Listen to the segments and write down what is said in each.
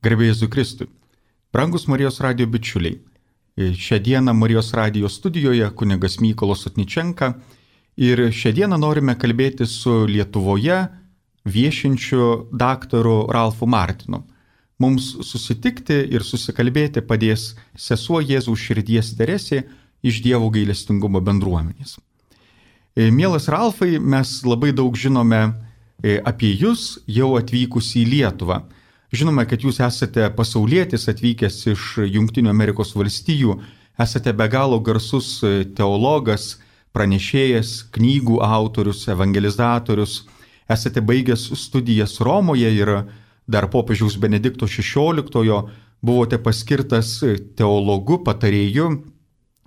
Garbė Jėzui Kristui. Brangus Marijos radijo bičiuliai. Šią dieną Marijos radijo studijoje kunigas Mykolas Sotničenka ir šią dieną norime kalbėti su Lietuvoje viešinčiu daktaru Ralfu Martinu. Mums susitikti ir susikalbėti padės sesuo Jėzaus širdies Teresė iš Dievo gailestingumo bendruomenės. Mielas Ralfai, mes labai daug žinome apie jūs jau atvykus į Lietuvą. Žinome, kad jūs esate pasaulietis atvykęs iš Jungtinių Amerikos valstijų, esate be galo garsus teologas, pranešėjas, knygų autorius, evangelizatorius, esate baigęs studijas Romoje ir dar popiežiaus Benedikto XVI buvote paskirtas teologu, patarėju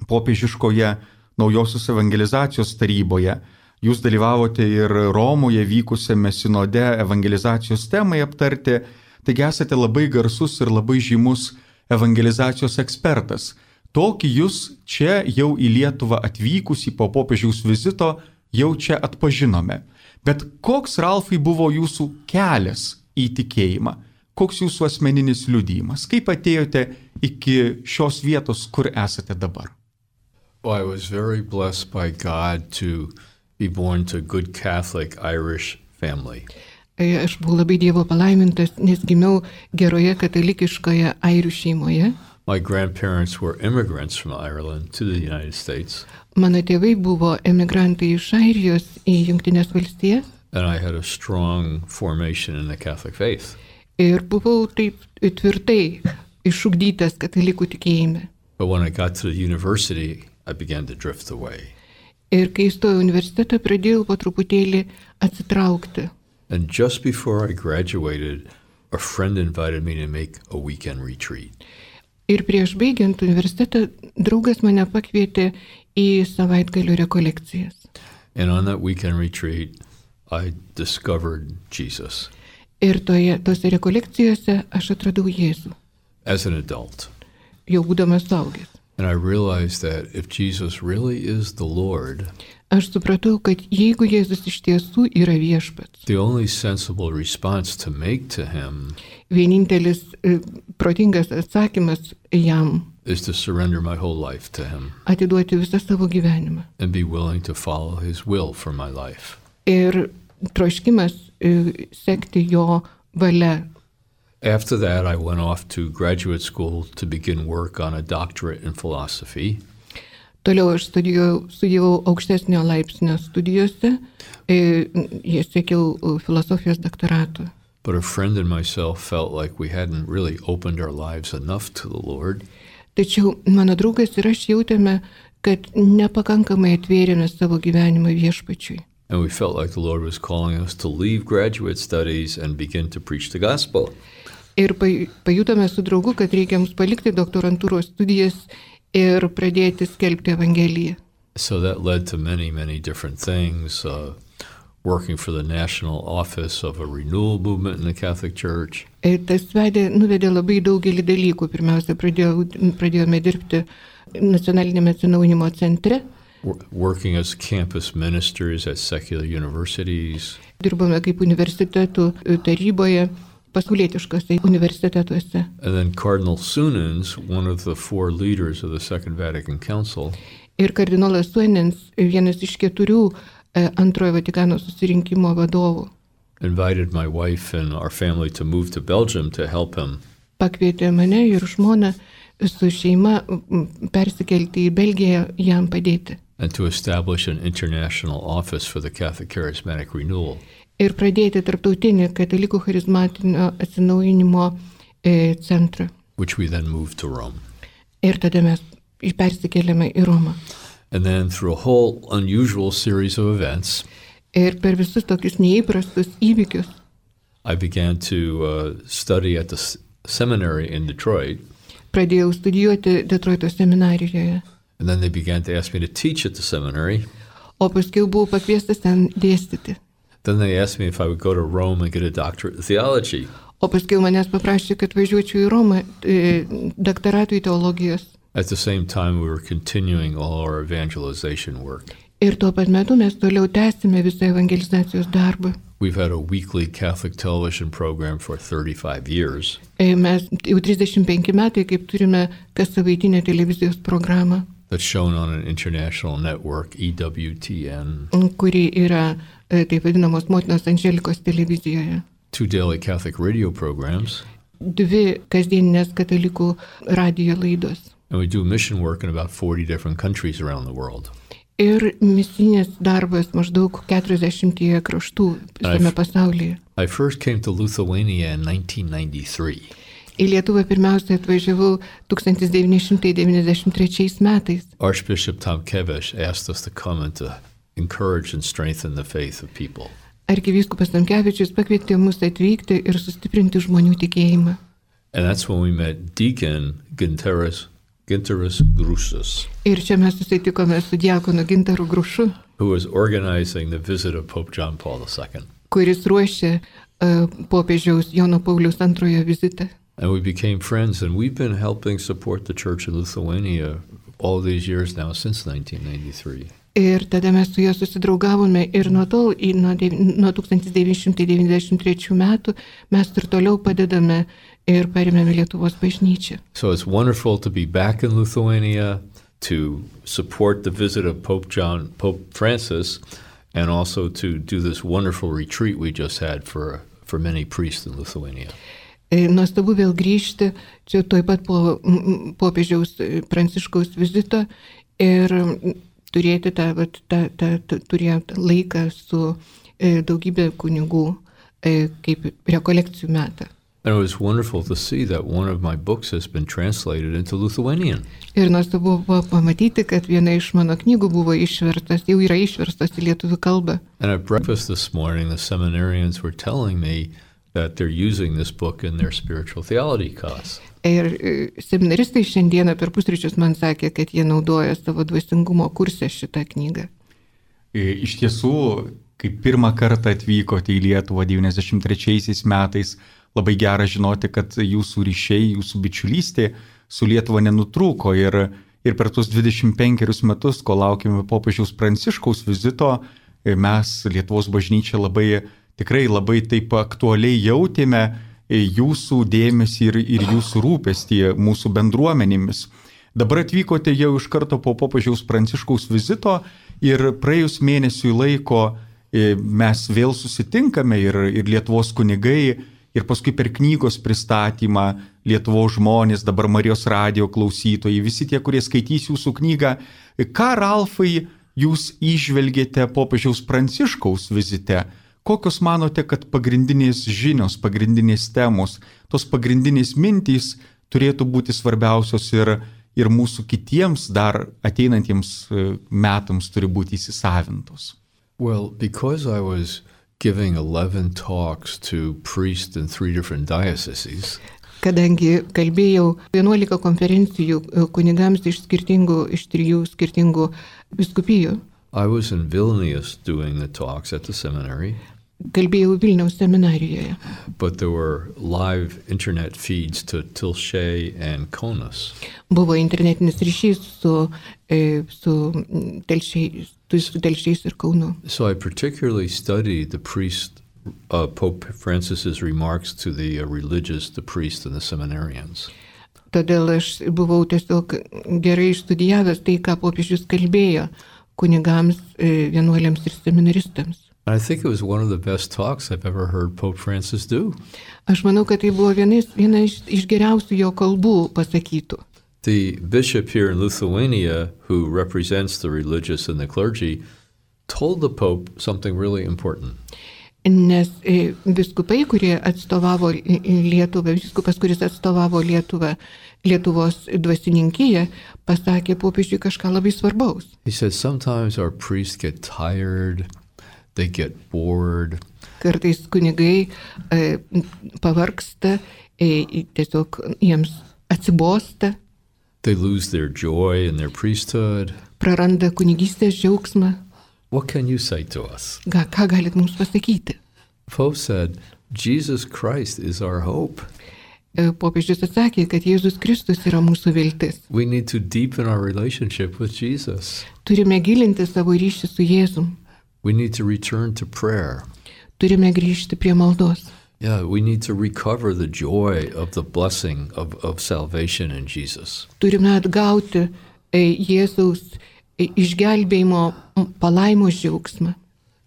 popiežiškoje naujosios evangelizacijos taryboje. Jūs dalyvavote ir Romoje vykusiame sinode evangelizacijos temai aptarti. Taigi esate labai garsus ir labai žymus evangelizacijos ekspertas. Tokį jūs čia jau į Lietuvą atvykusį po popiežiaus vizito jau čia atpažinome. Bet koks, Ralfai, buvo jūsų kelias į tikėjimą? Koks jūsų asmeninis liudijimas? Kaip atėjote iki šios vietos, kur esate dabar? Well, I was very blessed by God to be born to a good Catholic Irish family. Aš buvau labai Dievo palaimintas, nes gimiau geroje katalikiškoje airių šeimoje. My grandparents were immigrants from Ireland to the United States. Mano tėvai buvo emigrantai iš Airijos į Jungtines valstijas. And I had a strong formation in the Catholic faith. Ir buvau taip tvirtai išugdytas katalikų tikėjime. But when I got to the university, I began to drift away. Ir kai įstojau į universitetą, pradėjau po truputėlį atsitraukti. And just before I graduated, a friend invited me to make a weekend retreat. Ir prieš baigiant universitetą, draugas mane pakvietė į savaitgalio rekolekcijas. And on that weekend retreat, I discovered Jesus. Ir tose rekolekcijose aš atradau Jėzų. As an adult. Jau būdamas suaugęs. And I realized that if Jesus really is the Lord, aš supratau, kad jeigu Jėzus iš tiesų yra viešpats, the only sensible response to make to him vienintelis protingas atsakymas jam is to surrender my whole life to him. Atiduoti visą savo gyvenimą. And be willing to follow his will for my life. Ir troškimas sekti jo valia. After that, I went off to graduate school to begin work on a doctorate in philosophy. Toliau aš studijavau aukštesnio laipsnio studijose, siekiau filosofijos doktorato. But a friend and myself felt like we hadn't really opened our lives enough to the Lord. Tačiau mano draugas ir aš jautėme, kad nepakankamai atvėrėme savo gyvenimą viešpačiui. And we felt like the Lord was calling us to leave graduate studies and begin to preach the gospel. Ir pajutome su draugu, kad reikia mums palikti doktorantūros studijas ir pradėti skelbti evangeliją. So that led to many, many different things, working for the national office of a renewal movement in the Catholic Church. Tas nuvedė labai daugelį dalykų. Pirmiausia, pradėjome dirbti nacionalinėme atsinaujinimo centre. Working as campus ministers at secular universities. Dirbome kaip universitetų taryboje, pasaulietiškose universitetuose. And then Cardinal Sunens, one of the 4 leaders of the Second Vatican Council, ir kardinolas Sunens, vienas iš 4 antrojo Vatikano susirinkimo vadovų, invited my wife and our family to move to Belgium to help him. Pakvietė mane ir žmoną su šeima persikelti į Belgiją jam padėti. And to establish an international office for the Catholic Charismatic Renewal. Ir pradėti tarptautinį katalikų charizmatinio atsinaujinimo centrą. Which we then moved to Rome. Ir tada mes persikėlėme į Romą. And then through a whole unusual series of events, ir per visus tokius neįprastus įvykius, I began to study at the seminary in Detroit. Pradėjau studijuoti Detroito seminarijoje. And then they began to ask me to teach at the seminary. O paskui buvau pakviestas ten dėstyti. Then they asked me if I would go to Rome and get a doctorate in theology. O paskui manęs paprašė, kad važiuočiau į Romą daktaratui teologijos. At the same time, we were continuing all our evangelization work. Ir tuo pat metu mes toliau tęsime visą evangelizacijos darbą. We've had a weekly Catholic television program for 35 years. Mes jau 35 metai, kaip turime kas savaitinę televizijos programą, That's shown on an international network, EWTN. kuri yra taip vadinamos Motinos Andželikos televizijoje. 2 daily Catholic radio programs. 2 kasdieninės katalikų radijo laidos. And we do mission work in about 40 different countries around the world. Ir misinis darbas maždaug 40 kraštų visame pasaulyje. I first came to Lithuania in 1993. Į Lietuvą pirmiausia atvažiavau 1993 metais. Archbishop Tomkevič asked us to come and to encourage and strengthen the faith of people. Arkivyskupas Tomkevičius pakvietė mus atvykti ir sustiprinti žmonių tikėjimą. And that's when we met Deacon Gintaras Grušas, Ir čia mes susitikome su diakonu Gintaru Grušu, who was organizing the visit of Pope John Paul II. kuris ruošė popiežiaus Jono Pauliaus II vizitą. And we became friends, and we've been helping support the church in Lithuania all these years now, since 1993. Ir tada mes su juo susidraugavome ir nuo 1993 metų mes ir toliau padedame ir paremėme Lietuvos bažnyčią. So it's wonderful to be back in Lithuania, to support the visit of Pope Francis, and also to do this wonderful retreat we just had for many priests in Lithuania. Nuostabu vėl grįžti, čia tuoj pat po popiežiaus Pranciškaus vizito ir turėti turėti laiką su daugybė kunigų kaip rekolekcijų metą. And it was wonderful to see that one of my books has been translated into Lithuanian. Ir nuostabu buvo pamatyti, kad viena iš mano knygų buvo išverstas, jau yra išverstas į lietuvių kalbą. And at breakfast this morning, the seminarians were telling me that they're using this book in their spiritual theology class. Ir seminaristai šiandieną per pusryčius man sakė, kad jie naudoja savo dvasingumo kurse šitą knygą. Iš tiesų, kai pirmą kartą atvykote į Lietuvą 93 metais, labai gera žinoti, kad jūsų ryšiai, jūsų bičiulystė su Lietuva nenutrūko ir per tuos 25 metus, kol laukime popiežiaus Pranciškaus vizito, mes Lietuvos bažnyčia tikrai labai taip aktualiai jautėme jūsų dėmesį ir jūsų rūpestį mūsų bendruomenėmis. Dabar atvykote jau iš karto po popiežiaus Pranciškaus vizito ir praėjus mėnesiui laiko mes vėl susitinkame ir Lietuvos kunigai, ir paskui per knygos pristatymą Lietuvos žmonės, dabar Marijos radijo klausytojai, visi tie, kurie skaitys jūsų knygą. Ką, Ralfai, jūs įžvelgėte popiežiaus Pranciškaus vizite? Kokios manote, kad pagrindinės žinios, pagrindinės temos, tos pagrindinės mintys turėtų būti svarbiausios ir mūsų kitiems dar ateinantiems metams turi būti įsisavintos? Well, because I was giving 11 talks to priests in 3 different dioceses. Kadangi kalbėjau 11 konferencijų kunigams iš 3 skirtingų vyskupijų. I was in Vilnius doing the talks at the seminary. Kalbėjau Vilniaus seminarijoje. But there were live internet feeds to Tilšė and Kaunas. Buvo internetinis ryšys su Telšiais ir Kaunu. So I particularly studied the priest, Pope Francis's remarks to the religious, the priests and the seminarians. Todėl aš buvau tiesiog gerai išstudijavęs tai, ką popiežius kalbėjo kunigams, vienuoliams ir seminaristams. I think it was one of the best talks I've ever heard Pope Francis do. Aš manau, kad tai buvo viena iš geriausių jo kalbų pasakytų. The bishop here in Lithuania, who represents the religious and the clergy, told the Pope something really important. Nes viskupai, kurie atstovavo Lietuvą, viskupas, kuris atstovavo Lietuvos dvasininkiją, pasakė popiežiui kažką labai svarbaus. He said, sometimes our priests get tired, they get bored. Kartais kunigai pavargsta, tiesiog jiems atsibosta. They lose their joy in their priesthood. Praranda kunigystės džiaugsmą. What can you say to us? Ką galit mums pasakyti? Pope said, Jesus Christ is our hope. popiežius atsakė, kad Jėzus Kristus yra mūsų viltis. We need to deepen our relationship with Jesus. Turime gilinti savo ryšį su Jėzum. We need to return to prayer. Turime grįžti prie maldos. Yeah, we need to recover the joy of the blessing of salvation in Jesus. Turime atgauti Jėzaus išgelbėjimo palaimos džiaugsmą.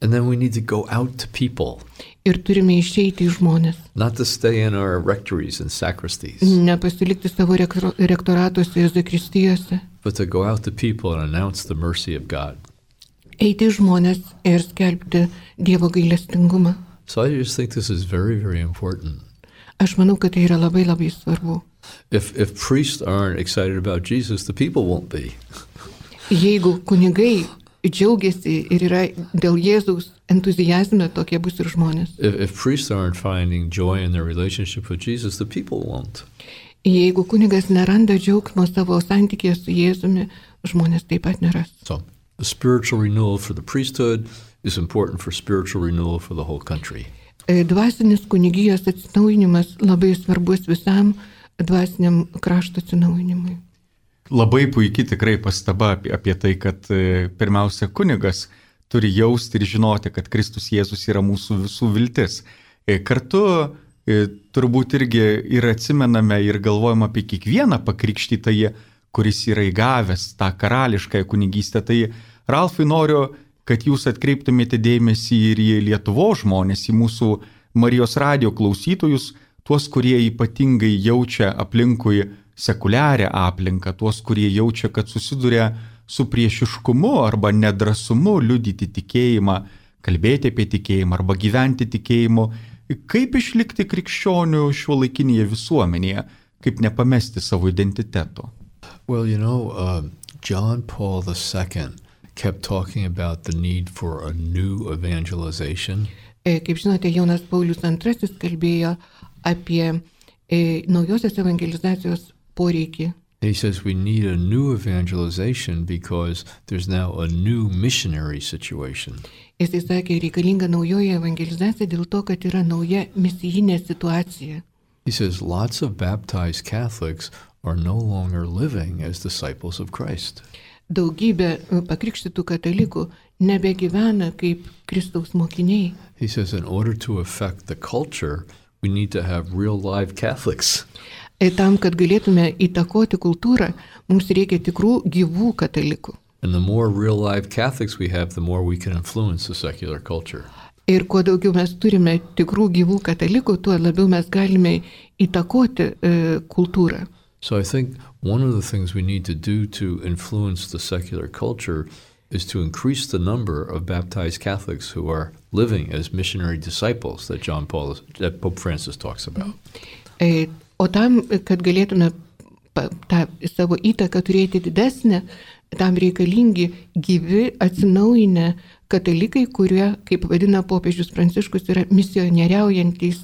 And then we need to go out to people. Ir turime išeiti į žmonės. Not to stay in our rectories and sacristies. Nepasilikti savo rektoratuose ir zakristijose. But to go out to people and announce the mercy of God. Eiti į žmonės ir skelbti Dievo gailestingumą. So I just think this is very, very important. Aš manau, kad tai yra labai labai svarbu. If priests aren't excited about Jesus, the people won't be. Jeigu kunigai džiaugiasi ir yra dėl Jėzaus entuzijazme, tokie bus ir žmonės. If priests aren't finding joy in their relationship with Jesus, the people won't. Jeigu kunigas neranda džiaugsmo savo santykėje su Jėzumi, žmonės taip pat neras. So the spiritual renewal for the priesthood is important for spiritual renewal for the whole country. Dvasinis kunigijos atsinaujinimas labai svarbus visam dvasiniam krašto atsinaujinimui. Labai puikiai tikrai pastaba apie tai, kad pirmiausia kunigas turi jausti ir žinoti, kad Kristus Jėzus yra mūsų visų viltis. Kartu turbūt irgi ir atsimename ir galvojame apie kiekvieną pakrikštytąjį, kuris yra įgavęs tą karališkąją kunigystę. Tai Ralfai, noriu, kad jūs atkreiptumėte dėmesį ir į Lietuvos žmonės, į mūsų Marijos radijo klausytojus, tuos, kurie ypatingai jaučia aplinkui sekuliarią aplinką, tuos, kurie jaučia, kad susiduria su priešiškumu arba nedrasumu liudyti tikėjimą, kalbėti apie tikėjimą arba gyventi tikėjimu. Kaip išlikti krikščionių šiuolaikinėje visuomenėje, kaip nepamesti savo identiteto? Well, John Paul II kept talking about the need for a new evangelization. Kaip žinote, Jonas Paulius II kalbėjo apie naujosios evangelizacijos poreikį. He says we need a new evangelization because there's now a new missionary situation. Jisai sakė, reikalinga naujoji evangelizacija dėl to, kad yra nauja misijinė situacija. He says lots of baptized Catholics are no longer living as disciples of Christ. Daugybė pakrikštytų katalikų nebegyvena kaip Kristaus mokiniai. He says in order to affect the culture, we need to have real live Catholics. Tam, kad galėtume įtakoti kultūrą, mums reikia tikrų gyvų katalikų. And the more real live Catholics we have, the more we can influence the secular culture. Ir kuo daugiau mes turime tikrų gyvų katalikų, tuo labiau mes galime įtakoti kultūrą. So I think one of the things we need to do to influence the secular culture is to increase the number of baptized Catholics who are living as missionary disciples that Pope Francis talks about. O tam, kad galėtume tą savo įtaką turėti didesnę, tam reikalingi gyvi, atsinaujinę katalikai, kurie, kaip vadina popiežius Pranciškus, yra misionieriaujantys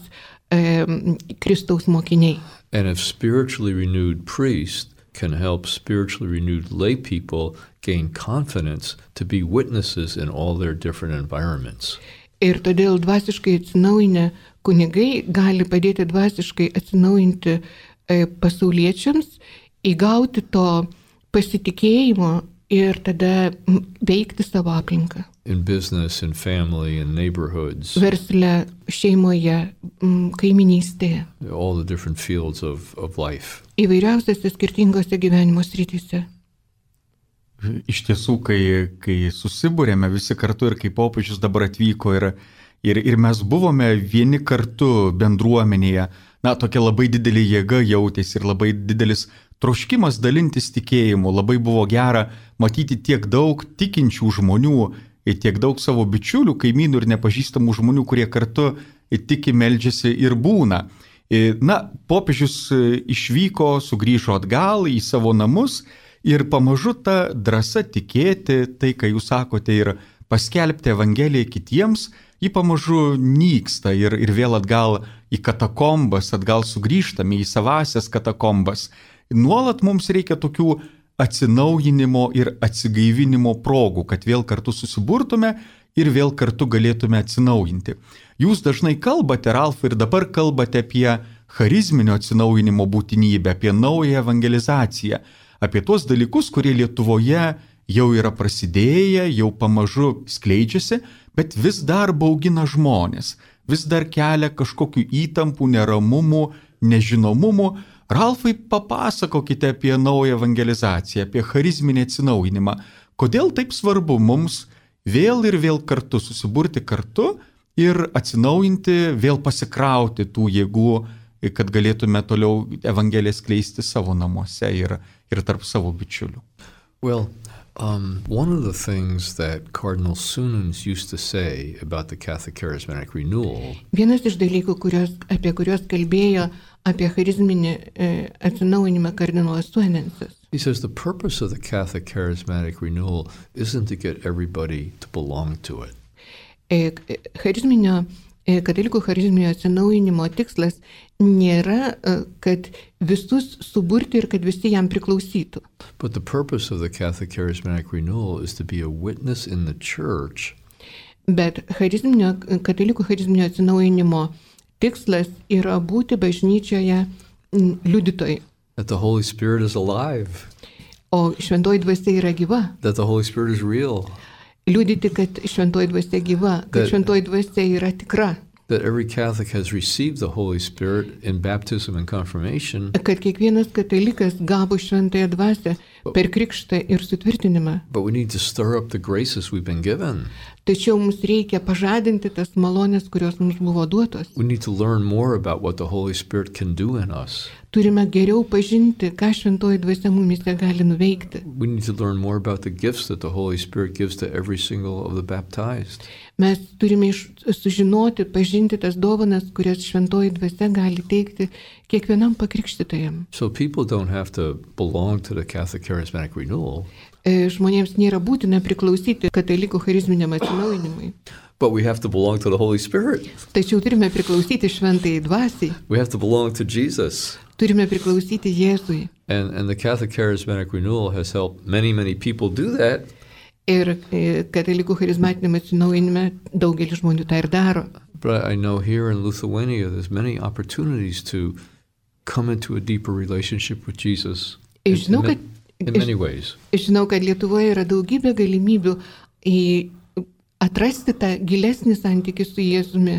Kristaus mokiniai. And if spiritually renewed priests can help spiritually renewed lay people gain confidence to be witnesses in all their different environments. Ir todėl dvasiškai atsinaujinę kunigai gali padėti dvasiškai atsinaujinti pasauliečiams, įgauti to pasitikėjimo ir tada veikti savo aplinką. In business, in family, in neighborhoods. Versle, šeimoje, kaiminystėje. All the different fields of life. Įvairiausiose skirtingose gyvenimo srityse. Iš tiesų, kai susibūrėme visi kartu ir kai popiežius dabar atvyko ir mes buvome vieni kartu bendruomenėje, tokia labai didelė jėga jautėsi ir labai didelis troškimas dalintis tikėjimu, labai buvo gera matyti tiek daug tikinčių žmonių, tiek daug savo bičiulių, kaimynų ir nepažįstamų žmonių, kurie kartu tiki, meldžiasi ir būna. Popiežius išvyko, sugrįžo atgal į savo namus ir pamažu ta drąsa tikėti, tai, ką jūs sakote, ir paskelbti Evangeliją kitiems, ji pamažu nyksta ir vėl atgal į katakombas, atgal sugrįžtame į savasias katakombas. Nuolat mums reikia tokių atsinaujinimo ir atsigaivinimo progų, kad vėl kartu susiburtume ir vėl kartu galėtume atsinaujinti. Jūs dažnai kalbate, Ralfai, ir dabar kalbate apie charizminio atsinaujinimo būtinybę, apie naują evangelizaciją, apie tuos dalykus, kurie Lietuvoje jau yra prasidėję, jau pamažu skleidžiasi, bet vis dar baugina žmonės, vis dar kelia kažkokių įtampų, neramumų, nežinomumų. Ralfai, papasakokite apie naują evangelizaciją, apie charizminį atsinaujinimą. Kodėl taip svarbu mums vėl ir vėl kartu susiburti kartu ir atsinaujinti, vėl pasikrauti tų jėgų, kad galėtume toliau evangeliją skleisti savo namuose ir tarp savo bičiulių? Well, one of the things that Cardinal Sunens used to say about the Catholic Charismatic Renewal Vienas iš dalykų, apie kuriuos kalbėjo apie charizminį atsinaujinimą kardinolas Sunensas. he says the purpose of the Catholic Charismatic Renewal isn't to get everybody to belong to it. Katalikų charizminio atsinaujinimo tikslas nėra, kad visus suburti ir kad visi jam priklausytų. But the purpose of the Catholic Charismatic Renewal is to be a witness in the church. Bet katalikų charizminio atsinaujinimo tikslas yra būti bažnyčioje liudytojai. That the Holy Spirit is alive. O šventoji dvasia yra gyva. That the Holy Spirit is real. Liudyti, kad šventoji dvasia gyva, kad šventoji dvasia yra tikra. That every Catholic has received the Holy Spirit in baptism and confirmation. Kad kiekvienas katalikas gavo šventąją dvasią per krikštą ir sutvirtinimą. But we need to stir up the graces we've been given. Tačiau mums reikia pažadinti tas malonės, kurios mums buvo duotos. We need to learn more about what the Holy Spirit can do in us. Turime geriau pažinti, ką šventoji dvasia mumise gali nuveikti. We need to learn more about the gifts that the Holy Spirit gives to every single of the baptized. Mes turime sužinoti, pažinti tas dovanas, kurias šventoji dvasia gali teikti kiekvienam pakrikštytajam. So people don't have to belong to the Catholic Charismatic Renewal. Žmonėms nėra būtina priklausyti katalikų charizminiam atsinaujinimui. But we have to belong to the Holy Spirit. Tačiau turime priklausyti šventajai dvasiai. We have to belong to Jesus. Turime priklausyti Jėzui. And the Catholic Charismatic Renewal has helped many people do that. Ir katalikų charizmatiniam atsinaujinime daugelis žmonių tą ir daro. But I know here in Lithuania there's many opportunities to come into a deeper relationship with Jesus. In many ways. Žinau, kad Lietuvoje yra daugybė galimybių atrasti tą gilesnį santykį su Jėzumi.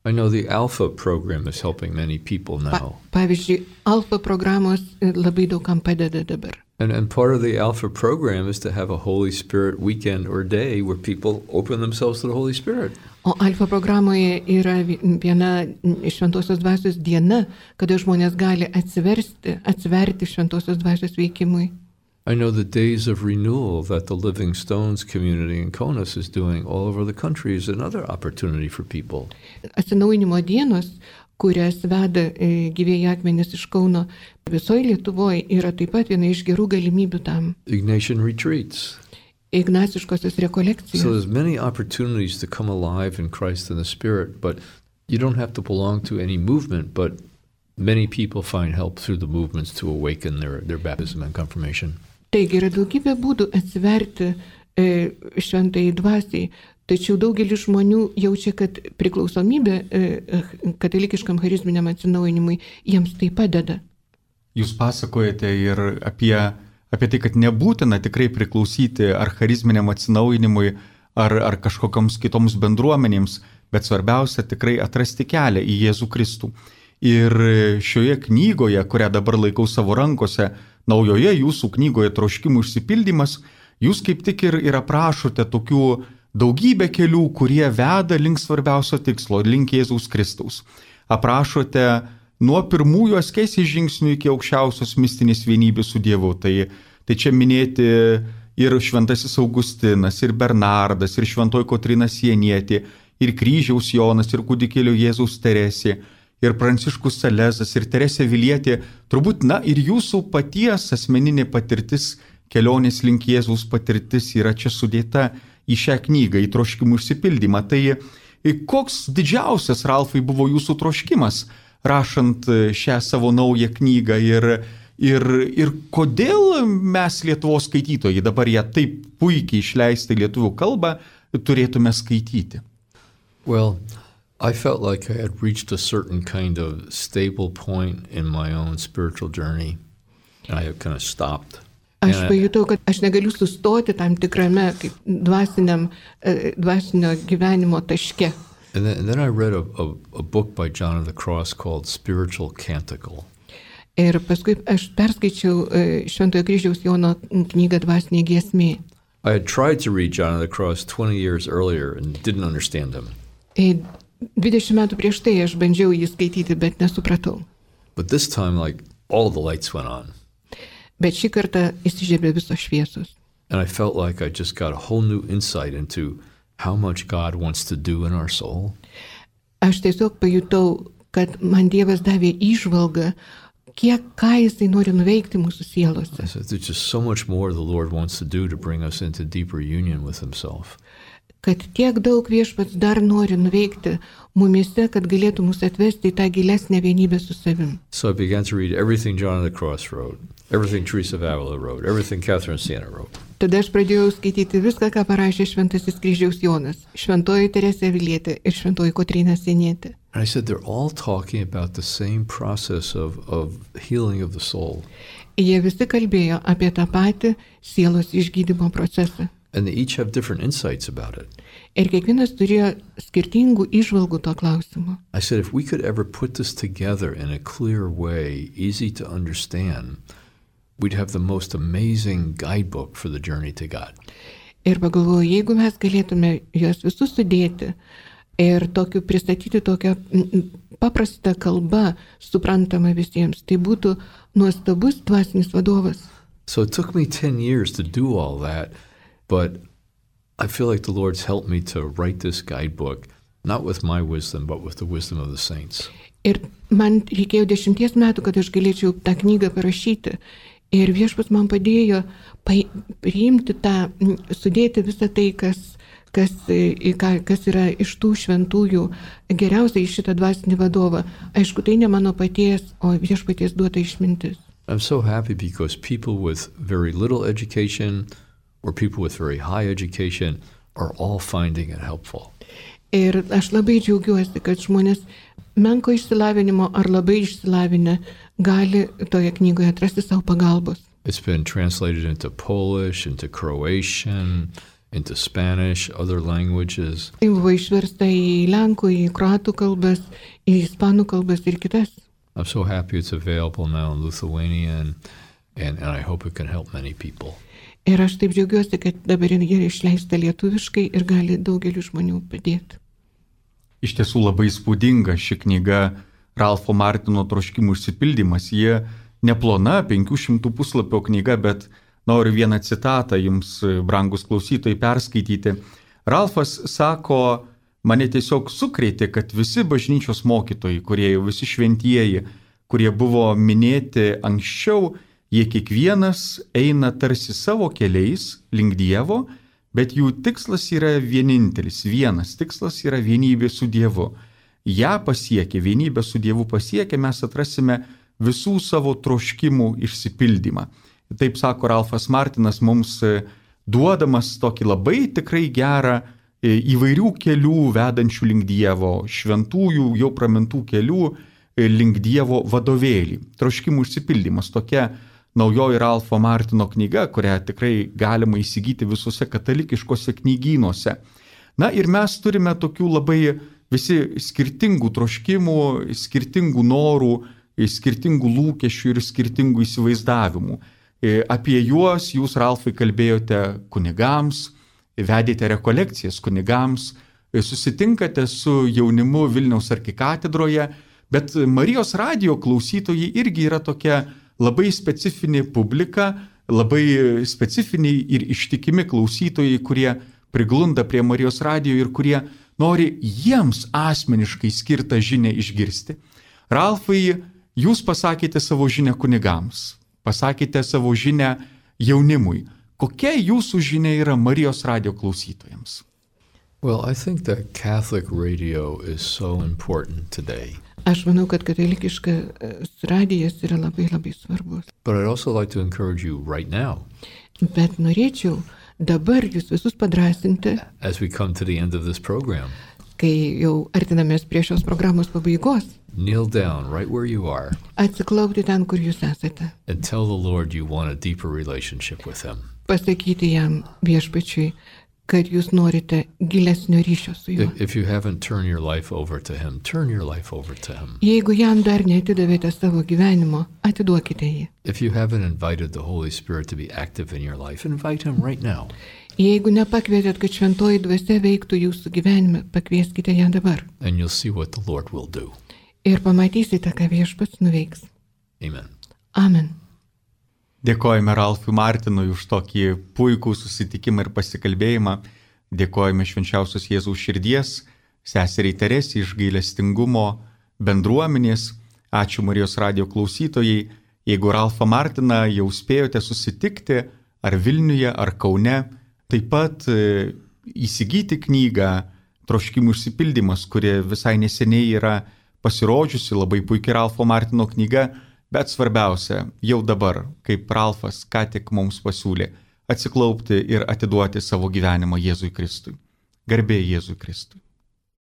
I know the Alpha program is helping many people now. Pavyzdžiui, Alpha programos labai daugam padeda dabar. And part of the Alpha program is to have a Holy Spirit weekend or day where people open themselves to the Holy Spirit. O Alfa programoje yra viena šventosios dvasios diena, kada žmonės gali atsiverti šventosios dvasios veikimui. I know the days of renewal that the Living Stones community in Kaunas is doing all over the country is another opportunity for people. Atsinaujinimo dienos, kurias veda gyvieji akmenys iš Kauno visoje Lietuvoje, yra taip pat viena iš gerų galimybių tam. Ignatian retreats. Ignaciškosios rekolekcijos. So there's many opportunities to come alive in Christ and the Spirit, but you don't have to belong to any movement, but many people find help through the movements to awaken their baptism and confirmation. Taigi yra daugybė būdų atsiverti šventai dvasiai, tačiau daugelis žmonių jaučia, kad priklausomybė katalikiškam charizminiam atsinaujinimui jiems tai padeda. Jūs pasakojate ir apie tai, kad nebūtina tikrai priklausyti ar charizminiam atsinaujinimui, ar kažkokiams kitoms bendruomenėms, bet svarbiausia tikrai atrasti kelią į Jėzų Kristų. Ir šioje knygoje, kurią dabar laikau savo rankose, naujoje jūsų knygoje Troškimų išsipildymas, jūs kaip tik ir aprašote tokių daugybę kelių, kurie veda link svarbiausio tikslo, link Jėzaus Kristaus. Aprašote nuo pirmųjų askezės žingsnių iki aukščiausios mistinės vienybės su Dievu. Tai čia minėti ir šventasis Augustinas, ir Bernardas, ir šventoji Kotryna Sienietė, ir kryžiaus Jonas, ir kūdikėlio Jėzaus Teresė, ir Pranciškus Salezas, ir Teresė Vilietė. Turbūt, ir jūsų paties asmeninė patirtis, kelionės link Jėzaus patirtis yra čia sudėta į šią knygą, į Troškimų išsipildymą. Tai koks didžiausias, Ralfai, buvo jūsų troškimas, rašant šią savo naują knygą ir kodėl mes Lietuvos skaitytojai, dabar ją taip puikiai išleistą į lietuvių kalbą, turėtume skaityti? Well, I felt like I had reached a certain kind of stable point in my own spiritual journey, and I had kind of stopped. Aš pajutau, kad aš negaliu sustoti tam tikrame kaip dvasinio gyvenimo taške. And then I read a book by John of the Cross called Spiritual Canticle. Ir paskui aš perskaičiau Šventojo Kryžiaus Jono knygą Dvasinė giesmė. I had tried to read John of the Cross 20 years earlier and didn't understand him. 20 metų prieš tai aš bandžiau jį skaityti, bet nesupratau. But this time, like, all the lights went on. Bet šį kartą įsižiebė visos šviesos. And I felt like I just got a whole new insight into how much God wants to do in our soul. Aš tiesiog pajutau, kad man Dievas davė įžvalgą, ką Jisai nori nuveikti mūsų sielose. I said, there's just so much more the Lord wants to do to bring us into deeper union with Himself. Kad tiek daug Viešpats dar nori nuveikti mumise, kad galėtų mus atvesti į tą gilesnę vienybę su savim. So I began to read everything John of the Cross wrote, everything Teresa of Avila wrote, everything Catherine of Siena wrote. Tada aš pradėjau skaityti viską, ką parašė Šventasis Kryžiaus Jonas, Šventoji Teresė Avilietė ir Šventoji Kotryna Sienietė. And I said, they're all talking about the same process of healing of the soul. Jie visi kalbėjo apie tą patį sielos išgydymo procesą. And they each have different insights about it. Ir kiekvienas turėjo skirtingų įžvalgų to klausimu. I said, if we could ever put this together in a clear way, easy to understand, we'd have the most amazing guidebook for the journey to God. Ir pagalvoju, jeigu mes galėtume juos visus sudėti ir pristatyti tokią paprastą kalbą, suprantamą visiems, tai būtų nuostabus dvasinis vadovas. So it took me 10 years to do all that, but I feel like the Lord's helped me to write this guidebook, not with my wisdom, but with the wisdom of the saints. Ir man reikėjo 10 metų, kad aš galėčiau tą knygą parašyti. Ir Viešpats man padėjo priimti tą, sudėti visą tai, kas yra iš tų šventųjų geriausiai iš šitą dvasinį vadovą. Aišku, tai ne mano paties, o Viešpaties duota išmintis. I'm so happy because people with very little education or people with very high education are all finding it helpful. Ir aš labai džiaugiuosi, kad žmonės menko išsilavinimo ar labai išsilavinę gali toje knygoje atrasti savo pagalbos. It's been translated into Polish, into Croatian, into Spanish, other languages. Tai buvo išversta į lenkų, į kroatų kalbas, į ispanų kalbas ir kitas. I'm so happy it's available now in Lithuanian, and I hope it can help many people. Ir aš taip džiaugiuosi, kad dabar yra išleista lietuviškai ir gali daugeliu žmonių padėti. Iš tiesų labai įspūdinga ši knyga Ralfo Martino troškimų išsipildymas. Jie neplona, 500 puslapio knyga, bet noriu vieną citatą jums, brangus klausytojai, perskaityti. Ralfas sako, mane tiesiog sukrėtė, kad visi bažnyčios mokytojai, kurie jau visi šventieji, kurie buvo minėti anksčiau, jie kiekvienas eina tarsi savo keliais link Dievo, bet jų tikslas yra vienintelis, vienas tikslas yra vienybė su Dievu. Ja pasiekę, vienybę su Dievu pasiekę, mes atrasime visų savo troškimų išsipildymą. Taip sako Ralfas Martinas, mums duodamas tokį labai tikrai gerą įvairių kelių vedančių link Dievo, šventųjų jau pramintų kelių link Dievo vadovėlį. Troškimų išsipildymas, tokia naujoji Ralfo Martino knyga, kurią tikrai galima įsigyti visuose katalikiškose knygynuose. Na ir mes turime tokių labai visi skirtingų troškimų, skirtingų norų, skirtingų lūkesčių ir skirtingų įsivaizdavimų. Apie juos jūs, Ralfai, kalbėjote kunigams, vedėte rekolekcijas kunigams, susitinkate su jaunimu Vilniaus arkikatedroje, bet Marijos radijo klausytojai irgi yra tokia labai specifinė publika, labai specifiniai ir ištikimi klausytojai, kurie priglunda prie Marijos radijo ir kurie nori jiems asmeniškai skirtą žinią išgirsti. Ralfai, jūs pasakėte savo žinią kunigams, pasakėte savo žinią jaunimui. Kokia jūsų žinia yra Marijos radijo klausytojams? Well, I think that Catholic radio is so important today. Aš manau, kad katalikiškas radijas yra labai labai svarbus. But I'd also like to encourage you right now. Bet norėčiau dabar jūs visus padrasinti. As we come to the end of this program. kai jau artinamės prie šios programos pabaigos, kneel down right where you are atsiklaupti ten, kur jūs esate. and tell the Lord you want a deeper relationship with Him. Pasakyti jam viešpačiui, kad jūs norite gilesnio ryšio su juo. If you haven't turned your life over to Him, turn your life over to Him. Jeigu jam dar neatidavėte savo gyvenimo, atiduokite jį. If you haven't invited the Holy Spirit to be active in your life, invite Him right now. Jeigu nepakvietėt, kad šventoji dvasia veiktų jūsų gyvenime, pakvieskite ją dabar. And you'll see what the Lord will do. Ir pamatysite, ką viešpats nuveiks. Amen. Amen. Dėkojame Ralfui Martinui už tokį puikų susitikimą ir pasikalbėjimą. Dėkojame švenčiausios Jėzaus širdies, seseriai Teresei iš gailestingumo bendruomenės. Ačiū Marijos radijo klausytojai. Jeigu Ralfą Martiną jau spėjote susitikti, ar Vilniuje, ar Kaune, taip pat įsigyti knygą Troškimų išsipildymas, kuri visai neseniai yra pasirodžiusi, labai puikiai Ralfo Martino knyga, bet svarbiausia, jau dabar, kaip Ralfas ką tik mums pasiūlė, atsiklaupti ir atiduoti savo gyvenimą Jėzui Kristui. Garbė Jėzui Kristui.